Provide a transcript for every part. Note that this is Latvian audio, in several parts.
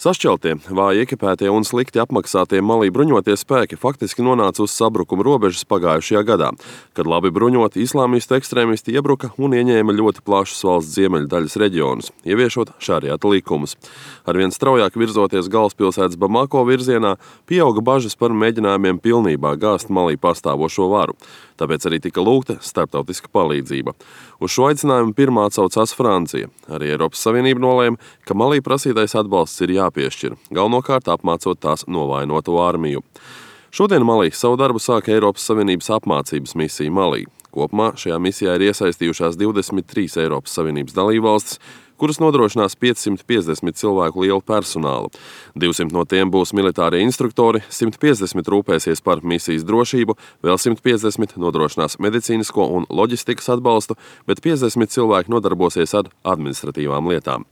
Sašķeltie, vāji ekipētie un slikti apmaksātie Malī bruņotie spēki faktiski nonāca uz sabrukuma robežas pagājušajā gadā, kad labi bruņoti islāmistu ekstrēmisti iebruka un ieņēma ļoti plašus valsts ziemeļdaļas reģionus, ieviešot šariata likumus. Arvien straujāk virzoties galvaspilsētas Bamako virzienā, pieauga bažas par mēģinājumiem pilnībā gāzt Malī pastāvošo varu. Tāpēc arī tika lūgta starptautiska palīdzība. Uz šo aicinājumu pirmā atsaucās Francija. Arī Eiropas Savienība nolēma, ka Malī prasītais atbalsts ir jāpiešķir, galvenokārt apmācot tās novainoto armiju. Šodien Malī savu darbu sāka Eiropas Savienības apmācības misija Malī. Kopumā šajā misijā ir iesaistījušās 23 Eiropas Savienības dalībvalstis, kuras nodrošinās 550 cilvēku lielu personālu. 200 no tiem būs militārie instruktori, 150 rūpēsies par misijas drošību, vēl 150 nodrošinās medicīnisko un loģistikas atbalstu, bet 50 cilvēki nodarbosies ar administratīvām lietām.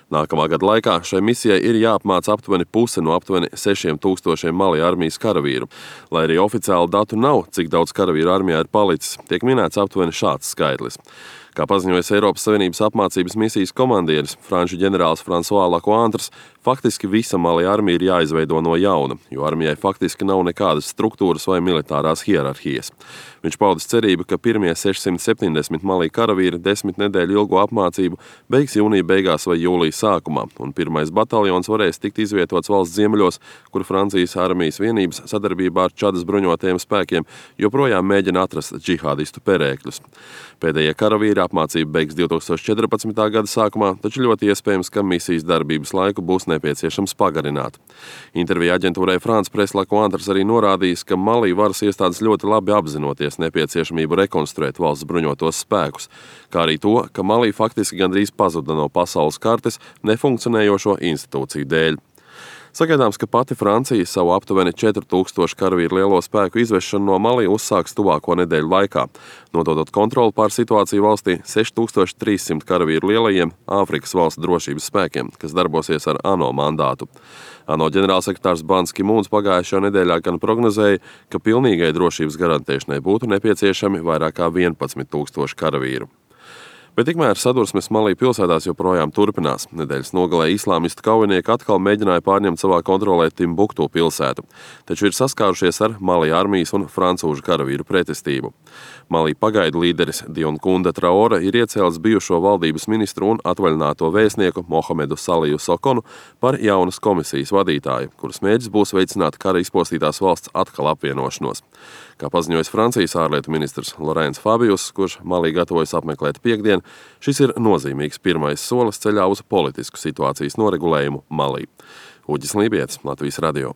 Nākamā gada laikā šai misijai ir jāapmāca aptuveni puse no aptuveni 6000 Malī armijas karavīru. Lai arī oficiāli datu nav, cik daudz karavīru armijā ir palicis, tiek minēts aptuveni šāds skaitlis. Kā paziņojas Eiropas Savienības apmācības misijas komandieris, franču ģenerālis François Lecointre, faktiski visa Malī armija ir jāizveido no jauna, jo armijai faktiski nav nekādas struktūras vai militārās hierarhijas. Viņš paudis cerību, ka pirmie 670 Malī karavīri 10 nedēļu ilgo apmācību beigs jūnija beigās vai jūlijas sākumā, un pirmais bataljons varēs tikt izvietots valsts ziemeļos, kur Francijas armijas vienības sadarbībā ar Čadas bruņotajiem spēkiem joprojām mēģina atrast džihādistu perēkļus. Pēdējie karavīri apmācību beigs 2014. gada sākumā, taču ļoti iespējams, ka misijas darbības laiku būs nepieciešams pagarināt. Intervijā aģentūrai France Presse Lecointre arī norādījis, ka Malī varas iestādes ļoti labi apzinoties nepieciešamību rekonstruēt valsts bruņotos spēkus, kā arī to, ka Malī faktiski gandrīz pazuda no pasaules kartes nefunkcionējošo institūciju dēļ. Sagaidāms, ka pati Francija savu aptuveni 4000 karavīru lielo spēku izvešanu no Malī uzsāks tuvāko nedēļu laikā, nododot kontroli pār situāciju valstī 6300 karavīru lielajiem Āfrikas valstu drošības spēkiem, kas darbosies ar ANO mandātu. ANO ģenerālsekretārs Bans Ki-mūns pagājušajā nedēļā gan prognozēja, ka pilnīgai drošības garantēšanai būtu nepieciešami vairāk kā 11 000 karavīru. Bet tikmēr sadursmes Malī pilsētās joprojām turpinās. Nedēļas nogalē islāmistu kaujinieki atkal mēģināja pārņemt savā kontrolē Timbuktu pilsētu, taču ir saskārušies ar Malī armijas un francūžu karavīru pretestību. Malī pagaidu līderis Dionkunda Traore ir iecēlis bijušo valdības ministru un atvaļināto vēstnieku Mohamedu Saliju Sokonu par jaunas komisijas vadītāju, kuras mērķis būs veicināt kara izpostītās valsts atkal apvienošanos. Kā paziņojis Francijas ārlietu ministrs Laurents Fabius, kurš Malī gatavojas apmeklēt piektdien, šis ir nozīmīgs pirmais solis ceļā uz politisku situācijas noregulējumu Malī. Uģis Lībietis, Latvijas radio.